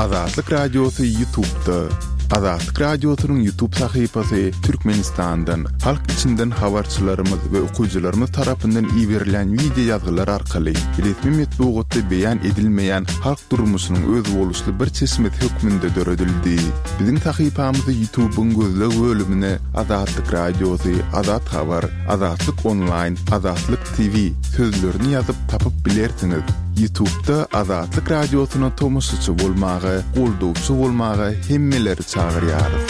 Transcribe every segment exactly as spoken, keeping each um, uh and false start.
Azatlyk Radiosy YouTube'da. Azatlyk Radiosynyň YouTube sahypasy Türkmenistandan, halk içinden habarçylarymyz we okyjylarymyz tarapyndan iberilen wideo ýazgylar arkaly resmi metbugatda beýan edilmeýän halk durmuşynyň özboluşly bir çeşmesi hökmünde döredildi. Biziň sahypamyzy YouTube'yň gözleg bölümine Azatlyk Radiosy, Azat Habar, Azatlyk Online, Azatlyk T V sözlerini ýazyp tapyp bilersiňiz. YouTube'da Azatlyk Radiosyna tomaşaçy bolmaga, goldawçy bolmaga hemmeleri çagyrýarys.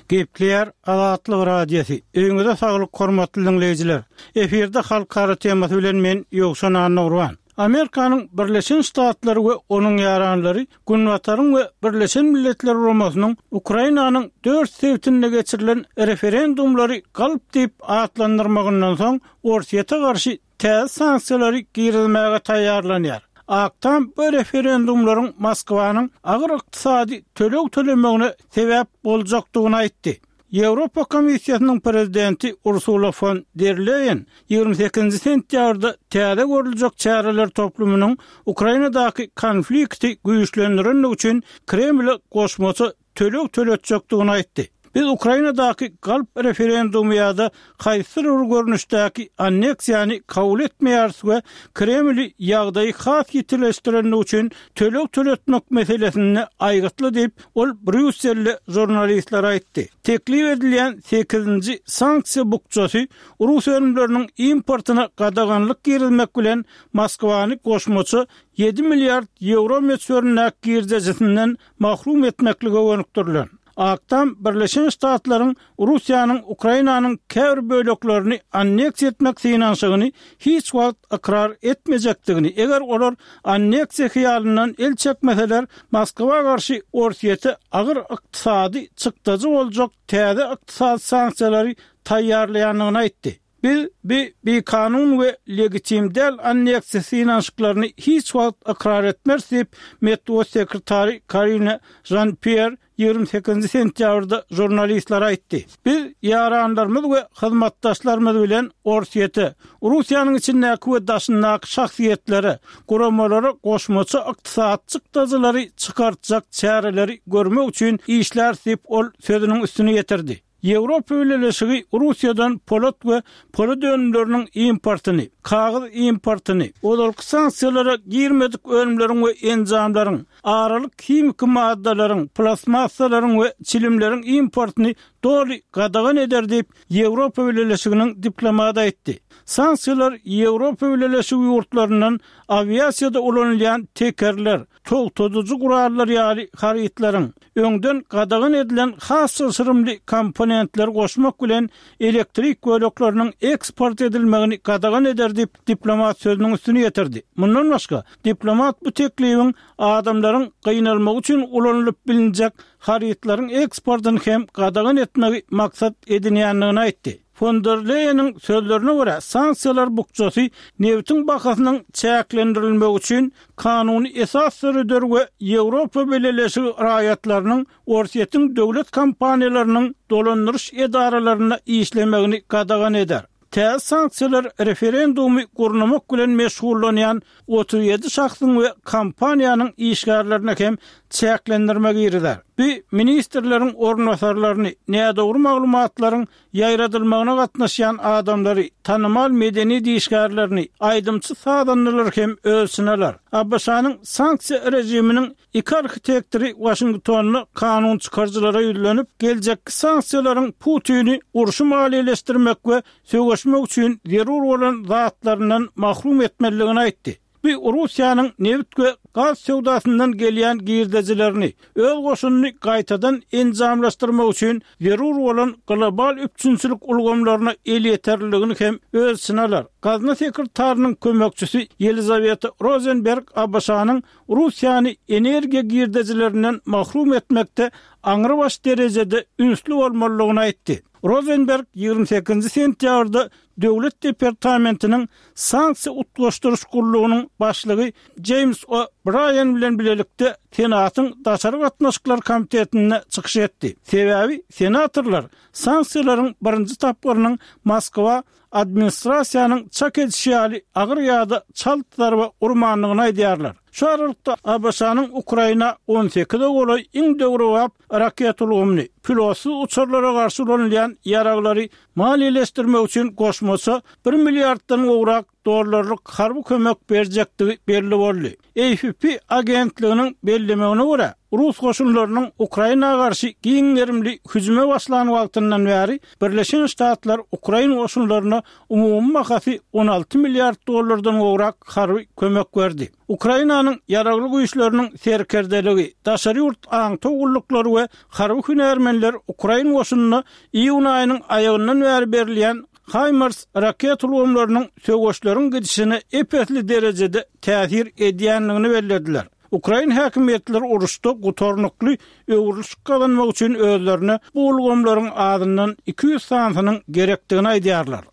Gepleýär Azatlyk Radiosy. Öýüňize saglyk, hormatly diňleýjiler. Efirde halkara temasy bilen men Ýowşan Annagurban. Amerikanyň Birleşen Ştatlary we onuň ýaranlary Günbataryň we Birleşen Milletler Guramasynyň Ukrainanyň dört sebitinde geçirilen referendumlary galp diýip atlandyrmagyndan soň Orsýete garşy täze sanksiýalary girizmäge taýýarlanýar. Ak Tam bu referendumlaryň Moskwanyň agyr ykdysady töleg tölemegine sebäp boljakdygyny aýtdy. Ýewropa Komissiýasynyň prezidenti Ursula fon der Leýen ýigrimi sekizinji sentýabrda täze görüljek çäreler toplumynyň Ukrainadaky konflikti güýçlendirendigi üçin Kremle goşmaça töleg töletjekdigini aýtdy. Biz Ukrainadaky galp referendumy ýa-da haýsydyr bir görnüşdäki anneksiýany kabul etmeýäris we Kremli ýagdaýy has ýitileşdirendigi üçin töleg töletmek meselesinde aýgytly diýip, ol Brýusselde žurnalistlere aýtdy. Teklip edilýän sekizinji sanksiýa bukjasy rus önümleriniň importyna gadaganlyk girizmek bilen Moskwany goşmaça ýedi milliard ýewro möçberindäki girdejisinden mahrum etmeklige gönükdirilen. Ak Tam Birleşen Ştatlaryň Russiýanyň Ukrainanyň käbir böleklerini anneksiýa etmek synanyşygyny hiç wagt ykrar etmejekdigini, eger olar anneksiýa hyýalyndan el çekmeseler, Moskwa garşy Orsýete agyr ykdysady çykdajy boljak täze ykdysady sanksiýalary taýýarlaýandygyny aýtdy. Biz bi bikanun we legitim däl anneksiýa synanyşyklaryny hiç wagt ykrar etmeris diýip, metbugat sekretary Karine Žan-Pýer ýigrimi sekizinji sentýabrda žurnalistlere aýtdy. Biz ýaranlarymyz we hyzmatdaşlarymyz bilen Orsýete, Russiýanyň içindäki we daşyndaky şahsyýetlere, guramalara goşmaça ykdysady çykdajylary çykartjak çäreleri görmek üçin işläris diýip, ol sözüniň üstüni ýetirdi. Ýewropa Bileleşigi Russiýadan polat we polat önümleriniň importyny, kagyz importyny, ozalky sanksiýalara girmedik önümleriň we enjamlaryň, aralyk himiki maddalaryň, plastmassalaryň we çilimleriň importyny doly gadagan eder diýip, Ýewropa Bileleşiginiň diplomaty aýtdy. Sanksiýalar Ýewropa Bileleşigi ýurtlaryndan awiasiýada ulanylýan tekerler, togtadyjy gurallar ýaly harytlaryň, öňden gadagan edilen has çylşyrymly komponentleri goşmak bilen elektrik bölekleriniň eksport edilmegini gadagan eder diýip, diplomat sözüniň üstüni ýetirdi. Mundan başga, diplomat bu teklibiň adamlaryň gynalmagy üçin ulanylyp bilinjek harytlaryň eksportyny hem gadagan etmegi maksat edinýändigini aýtdy. Fon der Leýeniň sözlerine görä, sanksiýalar bukjasy nebitiň bahasynyň çäklendirilmegi üçin kanuny esas döreder we Ýewropa Bileleşigi raýatlarynyň Orsýetiň döwlet kompaniýalarynyň dolandyryş edaralarynda işlemegini gadagan eder. Täze sanksiýalar referendumy gurnamak bilen meşgullanýan otuz ýedi şahsyň we kompaniýanyň işgärlerine hem çäklendirme girizer. Bu ministrleriň orunbasarlaryny, nädogry maglumatlaryň ýaýradylmagyna gatnaşýan adamlary, tanymal medeniýet işgärlerini, aýdymçy-sazandalary hem öz içine alar. A B Ş-nyň sanksiýa režiminiň iki arhitektory Waşingtonda kanun çykaryjylara ýüzlenip, geljekki sanksiýalaryň Putini urşy maliýeleşdirmek we söweşmek üçin zerur bolan zatlaryndan mahrum etmelidigini aýtdy. Bu Russiýanyň nebit we gaz söwdasyndan gelýän girdejilerini, öz goşunyny gaýtadan enjamlaşdyrmak üçin zerur bolan global üpjünçilik ulgamlaryna elýeterliligini hem öz içine alar. Gazna sekretarynyň kömekçisi Ýelizaweta Rozenberg A B Ş-nyň Russiýany energiýa girdejilerinden mahrum etmekde aňrybaş derejede ünsli bolmalydygyny aýtdy. Rozenberg ýigrimi sekizinji sentýabrda Döwlet departamentiniň sanksiýa utgaşdyryş gullugynyň başlygy Jeýms O. Braýan bilen bilelikde Senatyň Daşary gatnaşyklar komitetinde çykyş etdi. Sebäbi senatorlar sanksiýalaryň birinji tapgyrynyň Moskwa administrasiýanyň çak edişi ýaly agyr ýa-da çalt zarba urmandygyny aýdýarlar. Şu aralykda A B Ş-nyň Ukraina on sekize golaý iň döwrebap raket ulgamyny, pilotsyz uçarlara garşy ulanylýan ýaraglary maliýeleşdirmek üçin goşmaça bir milliarddan gowrak dollarlyk harby kömek berjekdigi belli boldy. A F P agentliginiň bellemegine görä, Rus goşunlarynyň Ukraina garşy giň gerimli hüjüme başlan wagtyndan bäri Birleşen Ştatlar Ukraina goşunlaryna umumy bahasy on alty milliard dollardan gowrak harby kömek berdi. Ukrainanyň ýaragly güýçleriniň serkerdeligi, daşary ýurt aňtaw gulluklary we harby hünärmenler Ukraina goşunyna iýun aýynyň aýagyndan bäri berilýän HIMARS raket ulgamlarynyň söweşleriň gidişine ep-esli derejede täsir edýändigini bellediler. Ukrain häkimiýetleri uruşda gutarnykly öwrülişik gazanmak üçin özlerine bu ulgamlaryň azyndan iki ýüz sanysynyň gerekdigini aýdýarlar.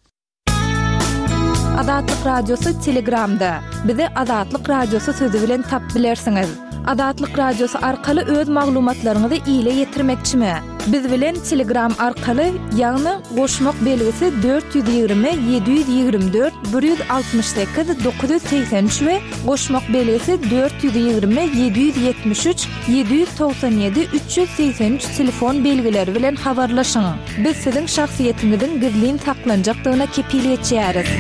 Azatlyk Radiosy Telegramda. Bizi Azatlyk Radiosy sözi bilen tap bilersiňiz. Azatlyk Radiosy arkaly öz maglumatlaryňyzy ile ýetirmekçimi? Biz bilen Telegram arkaly, ýagny goşmak belgisi dört ýüz ýigrimi ýedi ýüz ýigrimi dört bir ýüz altmyş sekiz dokuz ýüz segsen üç we goşmak belgisi dört ýüz ýigrimi ýedi ýüz ýetmiş üç ýedi ýüz togsan ýedi üç ýüz segsen üç telefon belgileri bilen habarlaşyň. Biz siziň şahsyýetiňiziň gizlin saklanjakdygyna kepil geçýäris.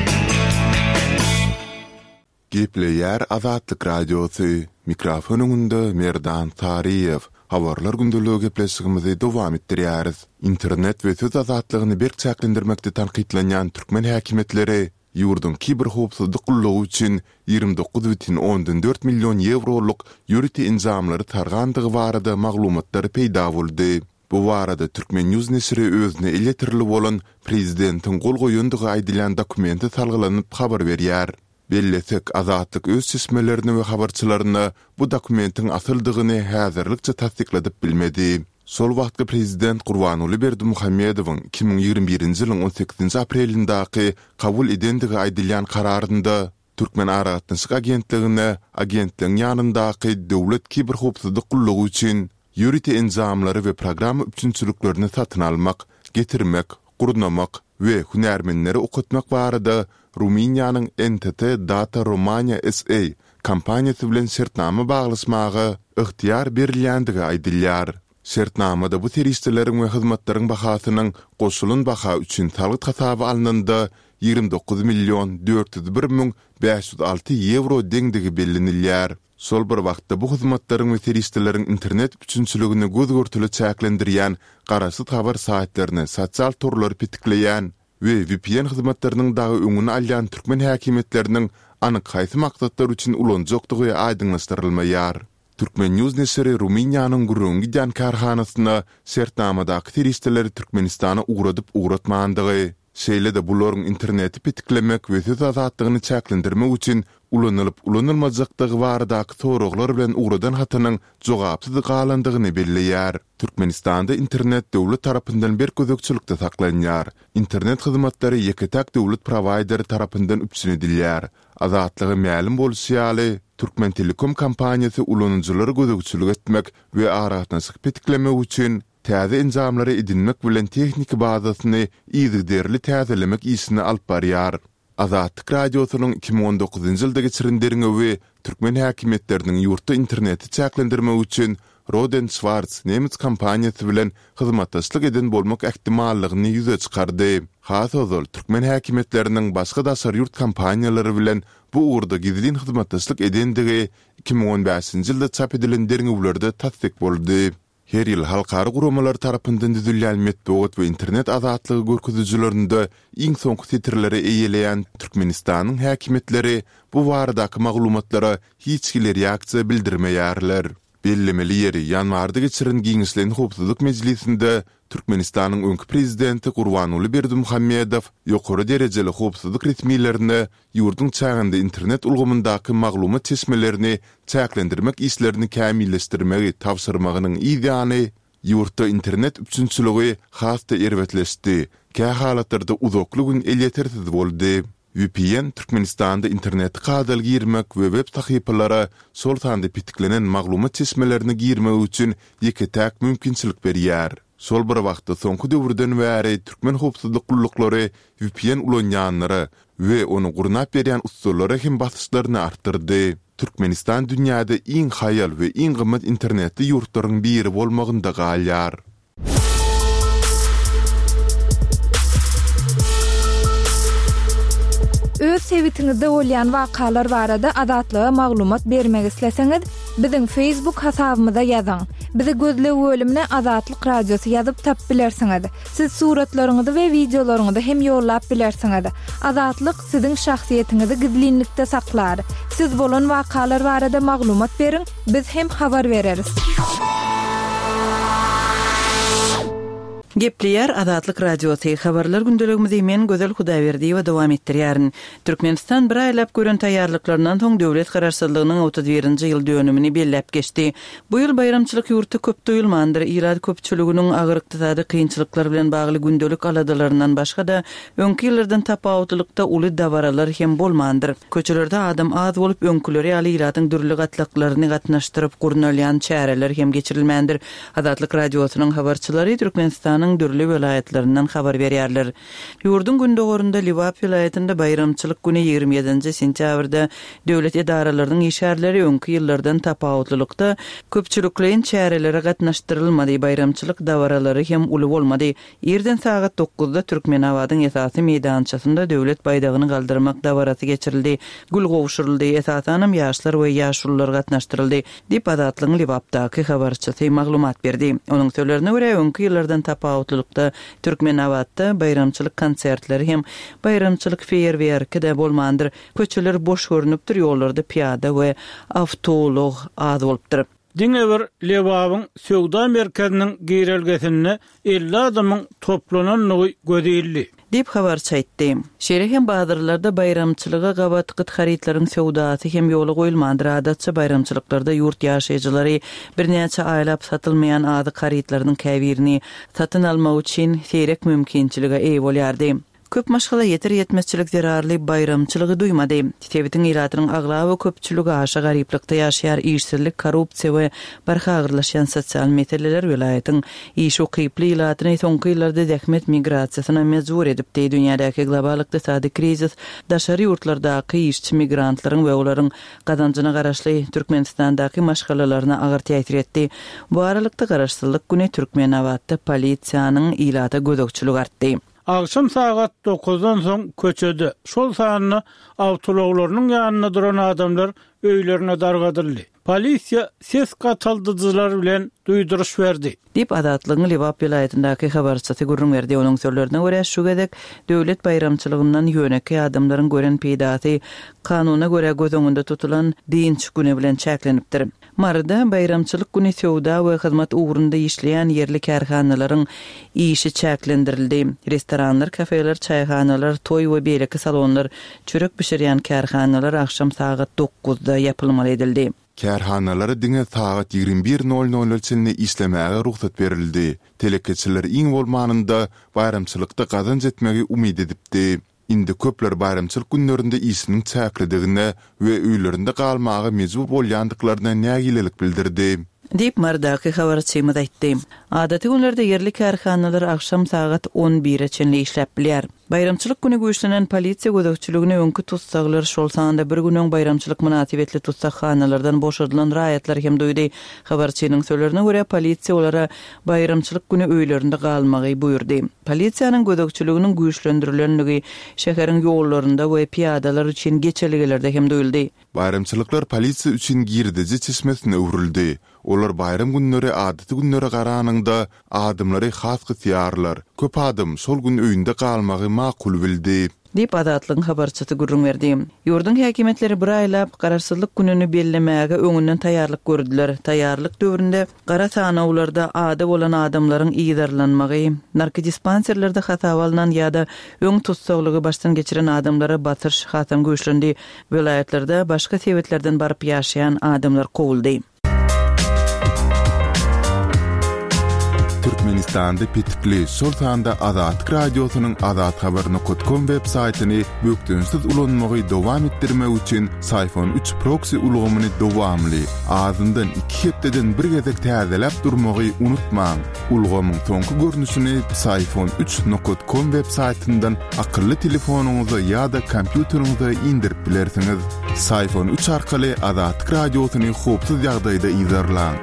Gepleýär Azatlyk Radiosy. Mikrofon öňünde Merdan Saryýew. Habarlar gündeligi gepleşigimizi dowam etdirýäris. Internet we söz azatlygyny berk çäklendirmekde tankytlanýan türkmen häkimiýetleri ýurduň kiberhowpsuzlyk gullugy üçin ýigrimi dokuz bütin ondan dört million ýewrolyk ýörite enjamlary sargandygy barada maglumatlar peýda boldy. Bu barada Türkmen News neşiri özüne elýeterli bolan prezidentiň gol goýandygy aýdylýan dokumente salgylanyp habar berýär. Bellesek, Azatlyk öz çeşmelerini we habarçylaryna bu dokumentiň asyldygyny häzirlikçe tassykladyp bilmedi. Şol wagtky prezident Gurbanguly Berdimuhamedowyň iki müň ýigrimi birinji ýylyň on sekizinji aprelindäki kabul edendigi aýdylýan kararynda Türkmen aragatnaşyk agentligine agentligiň ýanyndaky döwlet kiberhowpsuzlyk gullugy üçin ýörite enjamlary we programma üpjünçiliklerini satyn almak, getirmek, gurnamak we hünärmenleri okatmak barada Rumyniýanyň N T T Data Romania S A kompaniýasy bilen şertnama baglaşmaga ygtyýar berilýändigi aýdylýar. Şertnamada bu serişdeleriň we hyzmatlaryň bahasynyň goşulan baha üçin salgyt hasaby alnanda ýigrimi dokuz million dört ýüz bir müň bäş ýüz alty ýewro deňdigi bellenilýär. Şol bir wagtda bu hyzmatlaryň we serişdeleriň internet üpjünçiligini göz görtüli çäklendirýän, garaşsyz habar saýtlaryny, sosial torlary petikleýän we V P N hyzmatlarynyň dagy öňüni alýan türkmen häkimiýetleriniň anyk haýsy maksatlar üçin ulanjakdygy aýdyňlaşdyrylmaýar. Türkmen News neşiri Rumyniýanyň gürrüňi gidýän kärhanasyna şertnamadaky serişdeleri Türkmenistana ugradyp ugratmandygy, şeýle-de bularyň interneti petiklemek we söz azatlygyny çäklendirmek üçin ulanylyp ulanylmajakdygy baradaky soraglar bilen ugradan hatynyň jogapsyz galandygyny belleýär. Türkmenistanda internet döwlet tarapyndan berk gözegçilikde saklanýar. Internet hyzmatlary ýeke-täk döwlet prowaýderi tarapyndan üpjün edilýär. Azatlyga mälim bolşy ýaly, Türkmen Telekom kompaniýasy ulanyjylary gözegçilik etmek we aragatnaşyk petiklemek üçin täze enjamlary edinmek bilen tehniki bazasyny yzygiderli täzelemek işini alyp barýar. Azatlyk Radiosynyň iki müň on dokuzynjy ýylda geçiren derňewi türkmen häkimiýetleriniň ýurtda interneti çäklendirmek üçin Rohde und Schwarz nemes kompaniýasy bilen hyzmatdaşlyk eden bolmak ähtimallygyny ýüze çykardy. Has ozal türkmen häkimiýetleriniň başga daşary ýurt kompaniýalary bilen bu ugurda gizlin hyzmatdaşlyk edendigi iki müň on bäşinji ýylda çap edilen derňewlerde tassyk boldy. Her ýyl halkara guramalar tarapyndan düzülýän metbugat we internet azatlygy görkezijilerinde iň soňky setirleri eýeleýän Türkmenistanyň häkimiýetleri bu baradaky maglumatlara hiç hili reaksiýa bildirmeýärler. Bellemeli ýeri, ýanwarda geçiren giňişleýin howpsuzlyk mejlisinde Türkmenistanyň öňki prezidenti Gurbanguly Berdimuhamedow ýokary derejeli howpsuzlyk resmilerine ýurduň çäginde internet ulgamyndaky maglumat çeşmelerini çäklendirmek işlerini kämilleşdirmegi tabşyrmagynyň yz ýany ýurtda internet üpjünçiligi has-da erbetleşdi, kä halatlarda uzakly gün elýetersiz boldy. V P N Türkmenistanda internete kadaly girmek we web sahypalara, şol sanda petiklenen maglumat çeşmelerine girmek üçin ýeke-täk mümkinçilik berýär. Şol bir wagtda soňky döwürden bäri türkmen howpsuzlyk gulluklary V P N ulanýanlara we ony gurnap berýän ussalara hem basyşlaryny artdyrdy. Türkmenistan dünýäde iň haýal we iň gymmat internetli ýurtlaryň biri bolmagynda galýar. Öz sebitiňizde bolýan wakalar barada Azatlyga maglumat bermek isleseňiz, biziň Facebook hasabymyza ýazyň. Bizi gözleg bölümine Azatlyk Radiosy ýazyp tapyp bilersiňiz. Siz suratlaryňyzy we wideolaryňyzy hem ýollap bilersiňiz. Azatlyk siziň şahsyýetiňizi gizlinlikde saklar. Siz bolan wakalar barada maglumat beriň, biz hem habar bereris. Gepleýär Azatlyk Radiosy. Habarlar gündeligimizi men Gözel Hudaýberdiýewa dowam etdirýärin. Türkmenistan bir aýlap gören taýýarlyklaryndan soň döwlet garaşsyzlygynyň otuz birinji ýyl dönümini belläp geçdi. Bu ýyl baýramçylyk ýurtda köp duýulmandyr. Ilat köpçüliginiň agyr ykdysady kynçylyklar bilen bagly gündelik aladalaryndan başga-da öňki ýyllardan tapawutlylykda uly dabaralar hem bolmandyr. Köçelerde adam az bolup, öňküleri ýaly ilatyň dürli gatlaklaryny gatnaşdyryp gurnalýan çäreler hem geçirilmändir. Azatlyk Radiosynyň habarçylary Türkmenistanyň dürli welaýatlaryndan habar berýärler. Ýurduň gündogarynda Lebap welaýatynda baýramçylyk güni ýigrimi ýedinji sentýabrda döwlet edaralarynyň işgärleri öňki ýyllardan tapawutlylykda köpçülikleýin çärelere gatnaşdyrylmady, baýramçylyk dabaralary hem uly bolmady. Irden sagat dokuzda Türkmenabadyň esasy meýdançasynda döwlet baýdagyny galdyrmak dabarasy geçirildi. Gül gowşuryldy, esasanam ýaşlar we ýaşulular gatnaşdyryldy, diýip Azatlygyň Lebapdaky habarçysy maglumat berdi. Onuň sözlerine görä, öňki ýyllardan tapawutlylykda Türkmenabatda baýramçylyk konsertleri hem baýramçylyk feýerwerki de bolmandyr. Köçeler boş görünüpdir, ýollarda piýada we awtoulag az bolupdyr. Diňe bir Lebabyň söwda merkeziniň girelgesinde elli adamyň toplanandygy göze ildi. Diýip habarçy aýtdy. Şeýle hem bazarlarda baýramçylyga gabat gyt harytlaryň söwdasy hem ýola goýulmandyr. Adatça baýramçylyklarda ýurt ýaşaýjylary birnäçe aýlap satylmaýan azyk harytlarynyň käbirini satyn almak üçin seýrek mümkinçilige eýe bolýardy. Köp maşgala ýeter ýetmezçilik zerarly baýramçylygy duýmady. Sebitiň ilatynyň aglaba köpçüligi aşa garyplykda ýaşaýar, işsizlik, korrupsiýa we barha agyrlaşýan sosial meseleler welaýatyň iş ukyply ilatyny soňky ýyllarda zähmet migrasiýasyna mejbur edipdi. Dünýädäki global ykdysady krizis daşary ýurtlardaky işçi migrantlaryň we olaryň gazanjyna garaşly Türkmenistandaky maşgalalaryna agyr täsir etdi. Bu aralykda garaşsyzlyk güni Türkmenabatda polisiýanyň ilata gözegçiligi artdy. Agşam sagat dokuzdan soň köçede, şol sanda awtoulaglarynyň ýanynda duran adamlar öýlerine dargadyldy. Polisiýa ses gataldyjylar bilen duýduryş berdi. Diýip Azatlygyň Lebap welaýatyndaky habarçysy gürrüň berdi. Onuň sözlerine görä, şu gezek döwlet baýramçylygyndan ýönekeý adamlaryň gören peýdasy kanuna görä göz öňünde tutulan dynç güni bilen çäklenipdir. Maryda baýramçylyk güni söwda we hyzmat ugrunda işleýän ýerli kärhanalaryň işi çäklendirildi. Restoranlar, kafeler, çaýhanalar, toý we beýleki salonlar, çörek bişirýän kärhanalar agşam sagat dokuzda ýapylmaly edildi. Kärhanalara diňe sagat ýigrimi bir nol nol çenli işlemäge rugsat berildi. Telekeçiler iň bolmanynda baýramçylykda gazanç etmegi umyt edipdi. Indi köpler baýramçylyk günlerinde işiniň çäklidigine we öýlerinde galmaga mejbur bolýandyklaryna nägilelik bildirdi. Diýip Marydaky habarçymyz aýtdy. Adaty günlerde ýerli kärhanalar agşam sagat on bire çenli işläp bilýär. Baýramçylyk güni güýçlenen polisiýa gözegçiligine öňki tussaglar, şol sanda bir günüň baýramçylyk mynasybetli tussaghanalardan boşadylan raýatlar hem duýdy. Habarçynyň sözlerine görä, polisiýa olara baýramçylyk güni öýlerinde galmagy buýurdy. Polisiýanyň gözegçiliginiň güýçlendirilenligi şäheriň ýollarynda we piýadalar üçin geçelgelerde hem duýuldy. Baýramçylyklar polisiýa üçin girdeji çeşmesine öwrüldi. Olar baýram günleri adaty günlere garanyňda adamlary has gysýarlar. Köp adam şol gün öýünde galmagy makul bildi. Diýip Azatlygyň habarçysy gürrüň berdi. Ýurduň häkimiýetleri bir aýlap garaşsyzlyk gününi bellemäge öňünden taýýarlyk gördüler. Taýýarlyk döwründe gara sanawlarda ady bolan adamlaryň yzarlanmagy, narkodispanserlerde hasaba alnan ýa-da öň tussaglygy başdan geçiren adamlara basyş hasam güýçlendi. Welaýatlarda başga sebitlerden baryp ýaşaýan adamlar kowuldy. Türkmenistanda petikli, şol sanda Azatlyk Radiosynyň azathabar nokat kom web saýtyny bökdençsiz ulanmagy dowam etdirmek üçin Syfon üç proksi ulgamyny dowamly, azyndan iki hepdeden bir gezek täzeläp durmagy unutmaň. Ulgamyň soňky görnüşini Syfon üç nokat kom web saýtyndan akylly telefonyňyza ýa-da kompýuteriňize indirip bilersiňiz. Syfon üç arkaly Azatlyk Radiosyny howpsuz ýagdaýda yzarlaň.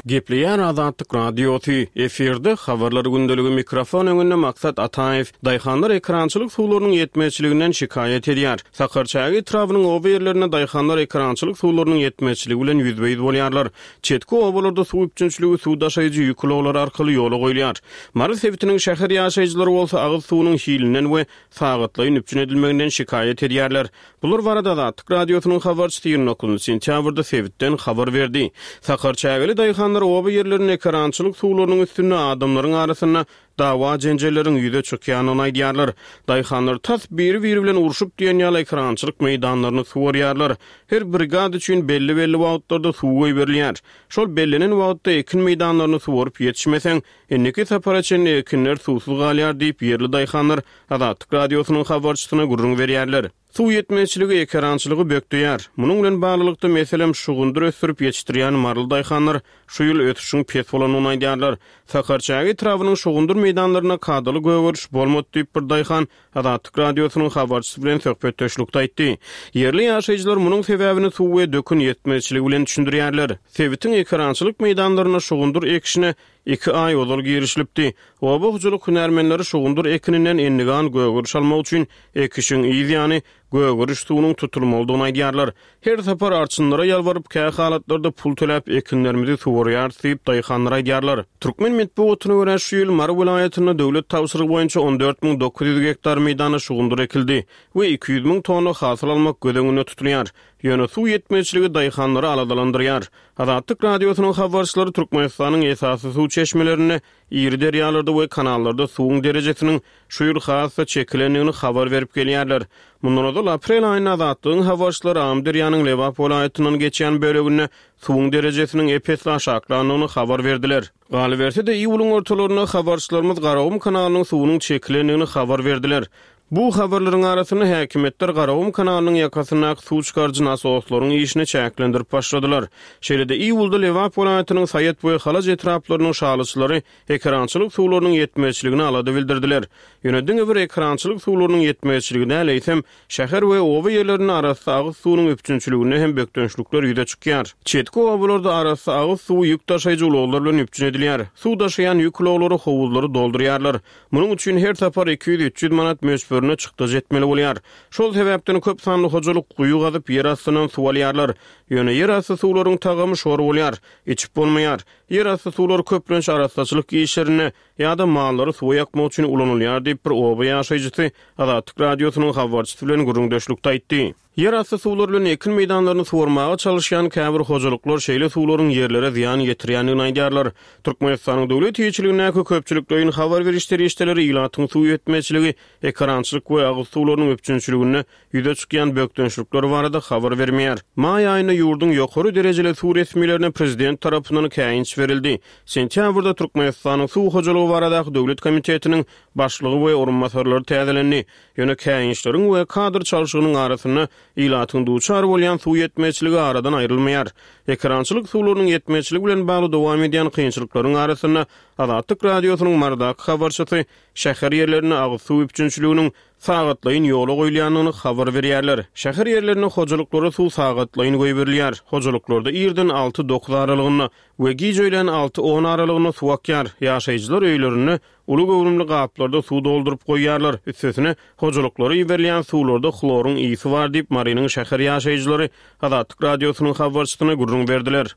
Gepleýär Azatlyk Radiosy, efirde habarlar gündeligi mikrofon öňünde Maksat Ataýew, daýhanlar ekrançylyk suwlarynyň ýetmezçiliginden şikaýat edýär. Sakarçäge etrabynyň oba ýerlerinde daýhanlar ekrançylyk suwlarynyň ýetmezçiligi bilen ýüzbe-ýüz bolýarlar. Çetki obalarda suw üpjünçiligi suw daşaýjy ýük ulaglary arkaly ýola goýulýar. Mary sebitiniň şäher ýaşaýjylary bolsa agyz suwunyň hilinden we sagatlaýyn üpjün edilmeginden şikaýat edýärler. Bular barada Azatlyk Radiosynyň habarçysy ýigrimi dokuzynjy sentýabrda sebitden habar berdi. Sakarçägeli daýhanlar oba ýerlerinde ekrançylyk suwlarynyň üstünde adamlaryň arasynda dawa jenjelleriň ýüze çykýanyny aýdýarlar. Daýhanlar tas biri-biri bilen urşup diýen ýaly ekrançylyk meýdanlaryny suwarýarlar. Her brigad üçin belli-belli wagtlarda suw goýberilýär. Şol bellenen wagtda ekin meýdanlaryny suwaryp ýetişmeseň, indiki sapara çenli ekinler suwsuz galýar diýip ýerli daýhanlar Azatlyk Radiosynyň habarçysyna gürrüň berýärler. Suw ýetmezçiligi ekerançylygy bökdeýär. Munuň bilen baglylykda meselem şugundyr ösdürip ýetişdirýän maryly daýhanlar şu ýyl ösüşiň pes bolanyny aýdýarlar. Sakarçäge etrabynyň şugundyr meýdanlaryna kadaly gögeriş bolmady diýip bir daýhan Azatlyk Radiosynyň habarçysy bilen söhbetdeşlikde aýtdy. Ýerli ýaşaýjylar munuň sebäbini suw we dökün ýetmezçiligi bilen düşündirýärler. Sebitiň ekerançylyk meýdanlaryna şugundyr ekişine iki aý ozal girişilipdi. Oba hojalyk hünärmenleri şugundyr ekininden endigan gögeriş almak üçin ekişiň yz ýany gögeriş suwunyň tutulmalydygyny aýdýarlar. Her sapar arçynlara ýalbaryp, kä halatlarda pul töläp ekinlerimizi suwarýarys diýip daýhanlar aýdýarlar. Türkmen metbugatyna görä şu ýyl Mary welaýatynda döwlet tabşyrygy boýunça on dört müň dokuz ýüz gektar meýdana şugundyr ekildi we iki ýüz müň tonna hasyl almak göz öňünde tutulýar. Ýöne suw ýetmezçiligi daýhanlary aladalandyrýar. Azatlyk Radiosynyň habarçylary Türkmenistanyň esasy suw çeşmelerinde, iri derýalarda we kanallarda suwuň derejesiniň şu ýyl has-da çekilendigini habar berip gelýärler. Mundan ozal aprel aýynda Azatlygyň habarçylary Amyderýanyň Lebap welaýatyndan geçýän böleginde suwuň derejesiniň epesli aşaklandygyny habar berdiler. Galyberse-de iýulyň ortalarynda habarçylarymyz Garagum kanalynyň suwunyň çekilendigini habar berdiler. Bu habarlaryň arasynda häkimiýetler Garagum kanalynyň ýakasyndaky suw çykaryjy nasoslaryň işini çäklendirip başladylar. Şeýle-de iýulda Lebap welaýatynyň Saýat we Halaç etraplarynyň şalyçylary ekerançylyk suwlarynyň ýetmezçiligini alada bildirdiler. Ýöne diňe bir ekerançylyk suwlarynyň ýetmezçiligi däl, eýsem şäher we oba ýerlerinde arassa agyz suwunyň üpjünçiliginde hem bökdençlikler ýüze çykýar. Çetki obalarda arassa agyz suwy ýük daşaýjy ulaglar bilen üpjün edilýär. Suw daşaýan ýük ulaglary howuzlary doldurýarlar. Munuň üçin her sapar iki ýüz üç ýüz manat möçberine çykdajy etmeli bolýar. Şol sebäpden köp sanly hojalyk guýy gazyp ýer astyndan suw alýarlar. Ýöne ýer asty suwlaryň tagamy şor bolýar, içip bolmaýar. Ýer asty suwlar köplenç arassaçylyk işlerinde ýa-da mallary suwa ýakmak üçin ulanylýar diýip bir oba ýaşaýjysy Azatlyk Radiosynyň habarçysy bilen gürrüňdeşlikde aýtdy. Ýer asty suwlar bilen ekin meýdanlaryny suwarmaga çalışýan käbir hojalyklar şeýle suwlaryň ýerlere zyýan ýetirýändigini aýdýarlar. Türkmenistanyň döwlet eýeçiligindäki köpçülikleýin habar beriş serişdeleri ilatyň suw ýetmezçiligi, ekerançylyk we agyz suwlarynyň üpjünçiliginde ýüze çykýan bökdençlikler barada habar bermeýär. Maý aýynda ýurduň ýokary derejeli suw resmilerine prezident tarapyndan käýinç berildi. Sentýabrda Türkmenistanyň suw hojalygy baradaky döwlet komitetiniň başlygy we orunbasarlary täzelendi. Ýöne käýinçleriň we kadr çalşygynyň arasynda ilatyň duçar bolýan suw ýetmezçiligi aradan aýrylmaýar. Ekerançylyk suwlarynyň ýetmezçiligi bilen bagly dowam edýän kynçylyklaryň arasynda Azatlyk Radiosynyň Marydaky habarçysy şäher ýerlerinde agyz suw üpjünçiliginiň sagatlaýyn ýola goýulýandygyny habar berýärler. Şäher ýerlerinde hojalyklara suw sagatlaýyn goýberilýär. Hojalyklarda irden alty dokuz aralygynda we gije öýlän alty on aralygynda suw akýar. Ýaşaýjylar öýlerinde uly göwrümli gaplarda suw dolduryp goýýarlar. Üstesine hojalyklara iberilýän suwlarda hloryň ýygy bar diýip Marynyň şäher ýaşaýjylary Azatlyk Radiosynyň habarçysyna gürrüň berdiler.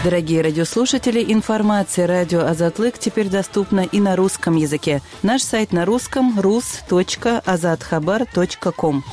Дорогие радиослушатели, информация радио Азатлык теперь доступна и на русском языке. Наш сайт на русском рус точка азатхабар точка ком.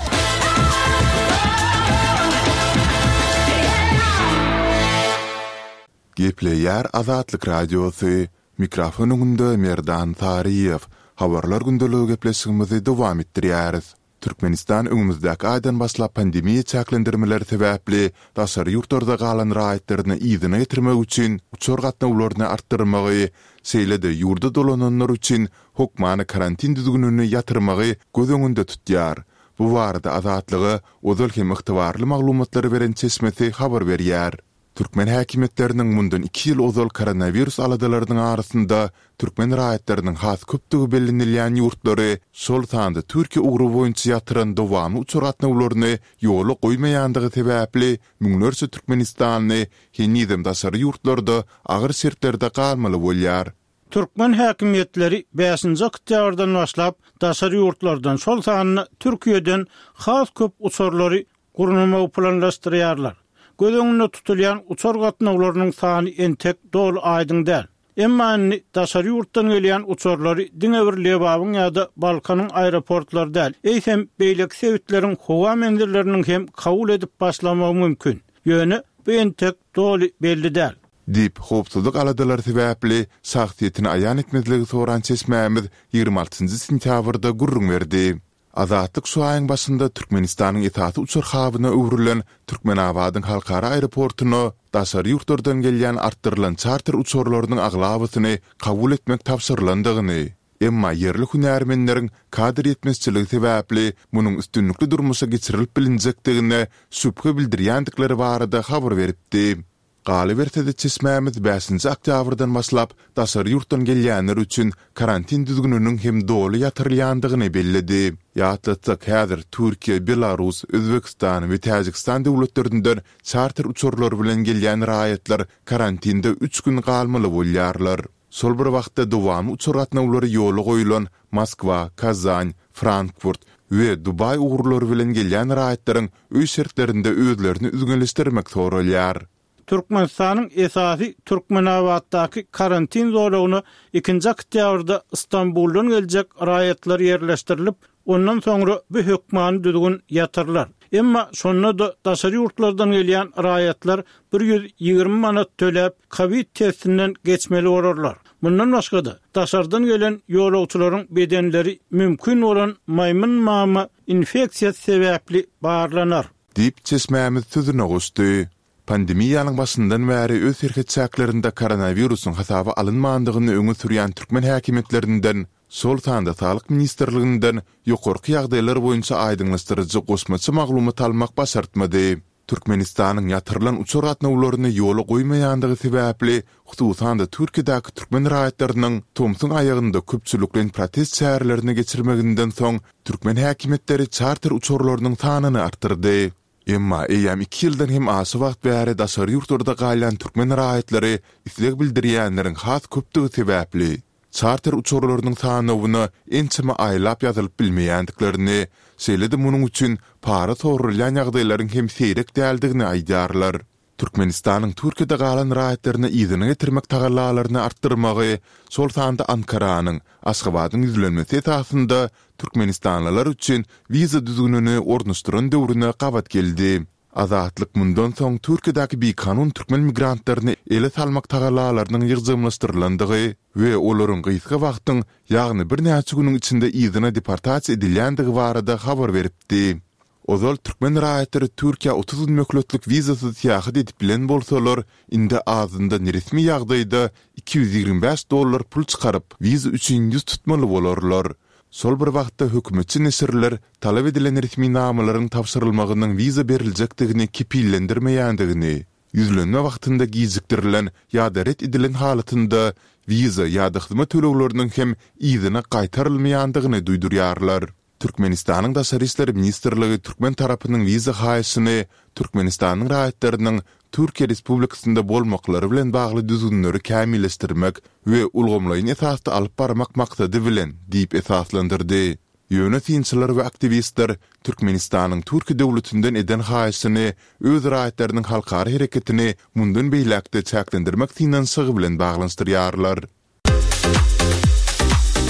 Gepleýär Azatlyk Radiosy. Mikrofon öňünde Merdan Saryýew. Habarlar gündeligi gepleşigimizi dowam etdirýäris. Türkmenistan öňümizdäki aýdan başlap pandemiýa çäklendirmeleri sebäpli daşary ýurtlarda galan raýatlaryny yzyna getirmek üçin uçar gatnawlaryny artdyrmagy, şeýle-de ýurda dolananlar üçin hökmany karantin düzgünini ýatyrmagy göz öňünde tutýar. Bu barada Azatlyga ozal hem ygtybarly maglumatlary beren çeşmesi habar berýär. Türkmen häkimiýetleriniň mundan iki ýyl ozal koronawirus aladalarynyň arasynda türkmen raýatlarynyň has köpdügi bellenilýän ýurtlary, şol sanda Türkiýe ugry boýunça ýatyran dowamly uçar gatnawlaryny ýola goýmaýandygy sebäpli müňlerçe türkmenistanly henizem daşary ýurtlarda agyr şertlerde galmaly bolýar. Türkmen häkimiýetleri bäşinji oktýabrdan başlap daşary ýurtlardan, şol sanda Türkiýeden has köp uçarlary gurnamagy planlaşdyrýarlar. Göz öňünde tutulýan uçar gatnawlarynyň sany entek doly aýdyň däl. Emma indi daşary ýurtdan gelýän uçarlary diňe bir Lebabyň ýa-da Balkanyň aeroportlary däl, eýsem beýleki sebitleriň howa menzilleriniň hem kabul edip başlamagy mümkin. Ýöne bu entek doly belli däl. Diýip, howpsuzlyk aladalary sebäpli şahsyýetini aýan etmezligi soran çeşmämiz ýigrimi altynjy sentýabrda gürrüň berdi. Azatlyk şu aýyň başynda Türkmenistanyň esasy uçar habyna öwrülen Türkmenabadyň halkara aeroportuna daşary ýurtlardan gelýän artdyrylan çarter uçarlarynyň aglabasyny kabul etmek tabşyrylandygyny, emma ýerli hünärmenleriň kadr ýetmezçiligi sebäpli munuň üstünlikli durmuşa geçirilip bilinjekdigine şübhe bildirýändikleri barada habar beripdi. Galyberse-de, çeşmämiz bäşinji oktýabrdan başlap daşary ýurtdan gelýänler üçin karantin düzgüniniň hem doly ýatyrylýandygyny belledi. Ýatlatsak, häzir Türkiýe, Belarus, Özbegistan we Täjigistan döwletlerinden çarter uçarlary bilen gelýän raýatlar karantinde üç gün galmaly bolýarlar. Şol bir wagtda dowamly uçar gatnawlary ýola goýlan Moskwa, Kazan, Frankfurt we Dubaý ugurlary bilen gelýän raýatlaryň öý şertlerinde özlerini üzňeleşdirmek soralýar. Türkmenistanyň esasy Türkmenabatdaky karantin zolagyna ikinji oktýabrda Stambuldan geljek raýatlar ýerleşdirilip, ondan soňra bu hökmany düzgün ýatyrylar. Emma şonda-da daşary ýurtlardan gelýän raýatlar bir ýüz ýigrimi manat töläp, kowid testinden geçmeli bolarlar. Mundan başga-da, daşardan gelen ýolagçylaryň bedenleri mümkin bolan maýmyn mama infeksiýasy sebäpli barlanar. Diýip, çeşmämiz sözüne goşdy. Pandemiýanyň başyndan bäri öz serhet çäklerinde koronawirusyň hasaba alynmandygyny öňe sürýän türkmen häkimiýetlerinden, şol sanda Saglyk ministrliginden ýokarky ýagdaýlar boýunça aýdyňlaşdyryjy goşmaça maglumat almak başartmady. Türkmenistanyň ýatyrylan uçar gatnawlaryny ýola goýmaýandygy sebäpli, hususan-da Türkiýedäki türkmen raýatlarynyň tomsuň aýagynda köpçülikleýin protest çärelerini geçirmeginden soň, türkmen häkimiýetleri çarter uçarlarynyň sanyny artdyrdy. Emma eýýäm iki ýyldan hem aşa wagt bäri daşary ýurtlarda galýan türkmen raýatlary isleg bildirýänleriň has köpdügi sebäpli, çarter uçarlarynyň sanawyna ençeme aýlap ýazylyp bilmeýändiklerini, şeýle-de munuň üçin para soralýan ýagdaýlaryň hem seýrek däldigini aýdýarlar. Türkmenistanyň Türkiýede galan raýatlaryny yzyna getirmek tagallalaryny artdyrmagy, şol sanda Ankaranyň, Aşgabadyň ýüzlenmesi esasynda türkmenistanlylar üçin wiza düzgünini ornaşdyran döwrüne gabat geldi. Azatlyk mundan soň Türkiýedäki bikanun türkmen migrantlaryny ele salmak tagallalarynyň ýygjamlaşdyrylandygy we olaryň gysga wagtyň, ýagny birnäçe günüň içinde yzyna deportasiýa edilýändigi barada habar beripdi. Ozal türkmen raýatlary Türkiýä otuz gün möhletlik wizasyz syýahat edip bilen bolsalar, indi azyndan resmi ýagdaýda iki ýüz ýigrimi bäş dollar pul çykaryp, wiza üçin ýüz tutmaly bolarlar. Şol bir wagtda hökümetçi neşirler talap edilen resminamalaryň tabşyrylmagynyň wiza beriljekdigini kepillendirmeýändigini, ýüzlenme wagtynda gijikdirilen ýa-da ret edilen halatynda wiza ýa-da hyzmat tölegleriniň hem yzyna gaýtarylmaýandygyny duýdurýarlar. Türkmenistanyň Daşary işler ministrligi türkmen tarapynyň wiza haýyşyny Türkmenistanyň raýatlarynyň Türkiýe Respublikasynda bolmaklary bilen bagly düzgünleri kämilleşdirmek we ulgamlaýyn esasda alyp barmak maksady bilen diýip esaslandyrdy. Ýöne synçylar we aktiwistler Türkmenistanyň Türkiýe döwletinden eden haýyşyny öz raýatlarynyň halkara hereketini mundan beýläk-de çäklendirmek synanyşygy bilen baglanyşdyrýarlar.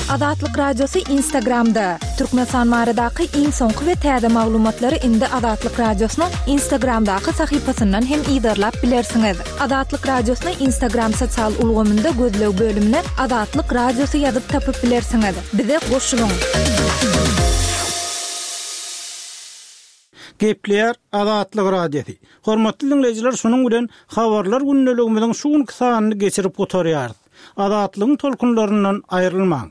Azatlyk Radiosy Instagramda, Türkmenistan baradaky iň soňky we täze maglumatlary indi Azatlyk Radiosynyň Instagramdaky sahypasyndan hem yzarlap bilersiňiz. Azatlyk Radiosyny Instagram sosial ulgamynda gözleg bölümine Azatlyk Radiosy ýazyp tapyp bilersiňiz. Bize goşulyň! Gepleýär Azatlyk Radiosy. Hormatly diňleýjiler, şunuň bilen Habarlar gündeligimiziň şu günki sanyny geçirip gutarýarys. Azatlygyň tolkunlaryndan aýrylmaň.